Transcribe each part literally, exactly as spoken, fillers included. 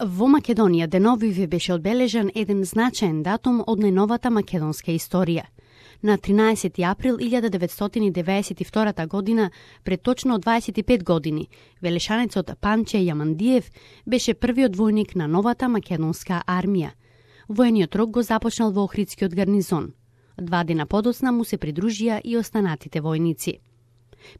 Во Македонија деновиве беше одбележан еден значаен датум од најновата македонска историја. На тринаесети април илјада деветстотини девеесет и втора година, пред точно дваесет и пет години, велешанецот Панче Јамандиев беше првиот војник на новата македонска армија. Војниот рок го започнал во Охридскиот гарнизон. Два дена подоцна му се придружија и останатите војници.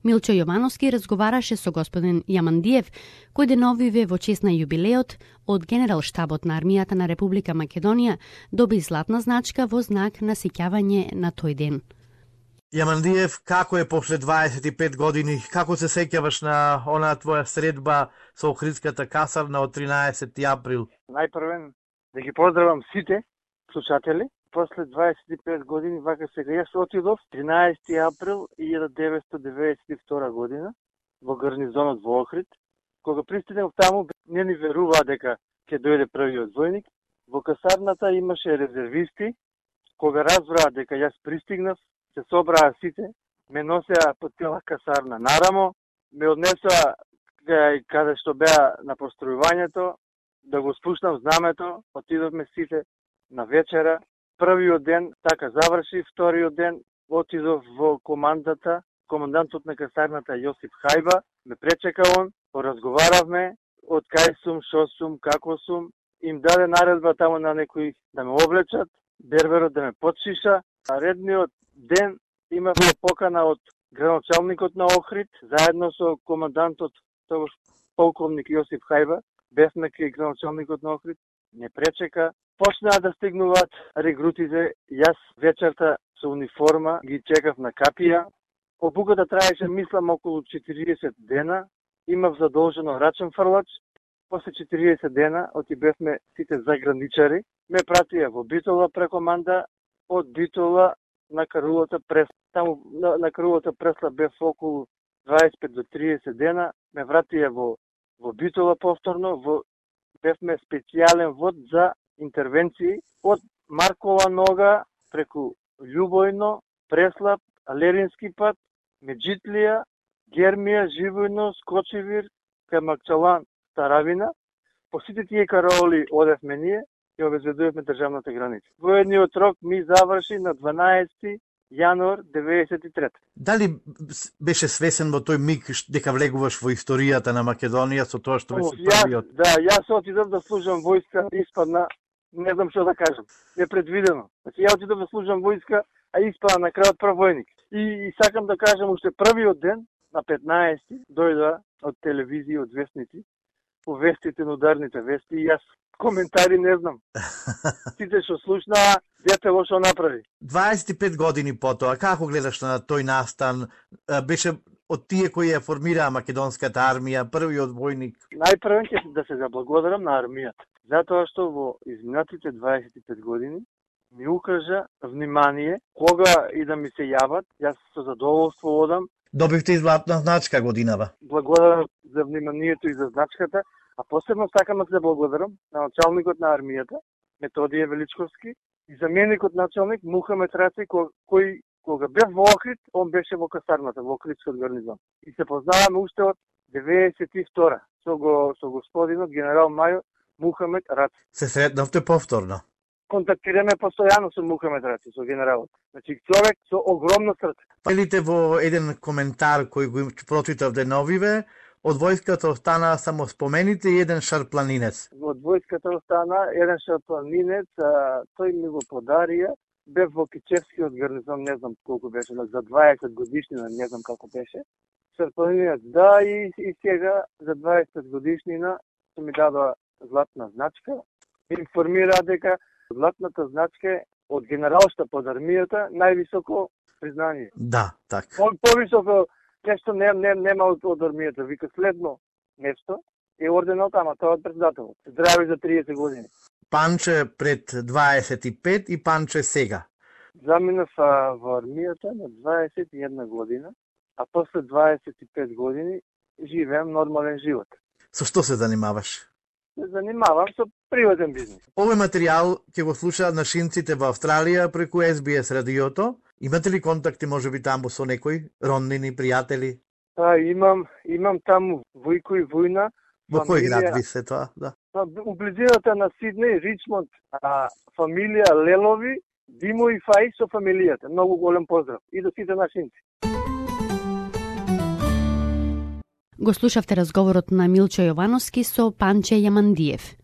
Милчо Јовановски разговараше со господин Јамандиев, кој деновиве во чест на јубилеот од Генерал штабот на армијата на Република Македонија доби златна значка во знак на сеќавање на тој ден. Јамандиев, како е после дваесет и пет години, како се сеќаваш на онаа твоја средба со Охридската касарна од тринаесети април? Најпрвен да ги поздравам сите слушатели. После дваесет и пет години, вака сега, јас отидов тринаесети април илјада деветстотини девеесет и втора година во гарнизонот во Охрид. Кога пристигнав таму, не ни веруваа дека ќе дојде првиот војник. Во касарната имаше резервисти. Кога разбраа дека јас пристигнав, се собраа сите, ме носеа по цела касарна нарамо, ме однесоа каде што беа на постројувањето, да го спуштам знамето, отидовме сите на вечера. Првиот ден така заврши, вториот ден отидов во командата, командантот на касарната Јосип Хајба, ме пречека он, поразговаравме, од кај сум, шо сум, како сум, им даде наредба таму на некои да ме облечат, берберот да ме подшиша. А редниот ден имавме покана од градоначалникот на Охрид, заедно со командантот, тогаш полковник Јосип Хајба, бевме кај градоначалникот на Охрид, не пречека. Почнаа да стигнуваат регрутите, јас вечерта со униформа ги чекав на капија. Обуката траеше, мислам, околу четириесет дена. Имав задолжено рачен фрлач. После четириесет дена оти бевме сите заграничари. Ме пратија во Битола преко Манда, од Битола на карулата прес. Таму на, на карулата пресла бев околу дваесет и пет до триесет дена. Ме вратија во, во Битола повторно. Во, бевме специјален вод за интервенции од Маркова нога преку Љубојно, Преслап, Алерински пат, Меджитлија, Гермија, Живојно, Скочевир, кај Макчалан, Таравина. По сите тие караоли одевме ние и обезбедувавме државната граница. Војниот рок ми заврши на дванаесети јануар деветдесет и трета. Дали беше свесен во тој миг дека влегуваш во историјата на Македонија со тоа што беше првиот? Да, јас отидов да служам војска, испадна, не знам што да кажам, непредвидено. Значи, ја отидов да служам војска, а испадна на крајот прв војник. И, и сакам да кажам, уште првиот ден, на петнаесети, дојда од телевизија, од вестници, по вестите на ударните вести, и јас коментари не знам. Сите што слушнаа, дете лошо направи. дваесет и пет години потоа, како гледаш на тој настан? Беше од тие кои ја формираа македонската армија, првиот војник? Најпрвен ќе да се заблагодарам на армијата, затоа што во изминатите дваесет и пет години ми укажа внимание, кога и да ми се јават, јас со задоволство одам. Добивте и златна значка годинава. Благодарам за вниманието и за значката, а посебно сакам да се благодарам на началникот на армијата, Методије Величковски, и заменикот началник Мухамед Раци, кој, кој кога бев во Охрид, он беше во касарната, во Охридскиот гарнизон. И се познаваме уште од деветдесет и втора со, го, со господинот генерал мајор Мухамед Раци. Се сретнавте повторно? Контактираме постојано со Мухамед Раци, со генералот. Значи, човек со огромно срце. Велите во еден коментар кој го прочитав деновиве, од војската остана само спомените и еден шарпланинец. Од војската остана еден шарпланинец, а, тој ми го подарија. Бев во Кичевскиот гарнизон, не знам колку беше, за дваесет годишнина, не знам како беше. Шарпланинец, да, и, и сега за дваесет годишнина ми дадоа златна значка. Информира дека златната значка е од генералштаб под армијата највисоко признание. Да, така. По, повисоко нешто не, не, нема од, од армијата. Вика следно нешто е орденот, ама тоа од председателот. Здрави за триесет години. Панче пред дваесет и пет и Панче сега. Заминав во армијата на дваесет и една година, а после дваесет и пет години живеам нормален живот. Со што се занимаваш? Се занимавам со приватен бизнес. Овој материјал ќе го слушаат нашинците во Австралија преку Ес Би Ес радиото. Имате ли контакти можеби таму со некој роднини, пријатели? Па имам, имам таму Војко и Војна. Во кој град ви се тоа? Да. У близината на Сиднеј, Ричмонд, а, фамилија Лелови, Димо и Фај со фамилијата. Многу голем поздрав и до сите нашинци. Го слушавте разговорот на Милчо Јовановски со Панче Јамандиев.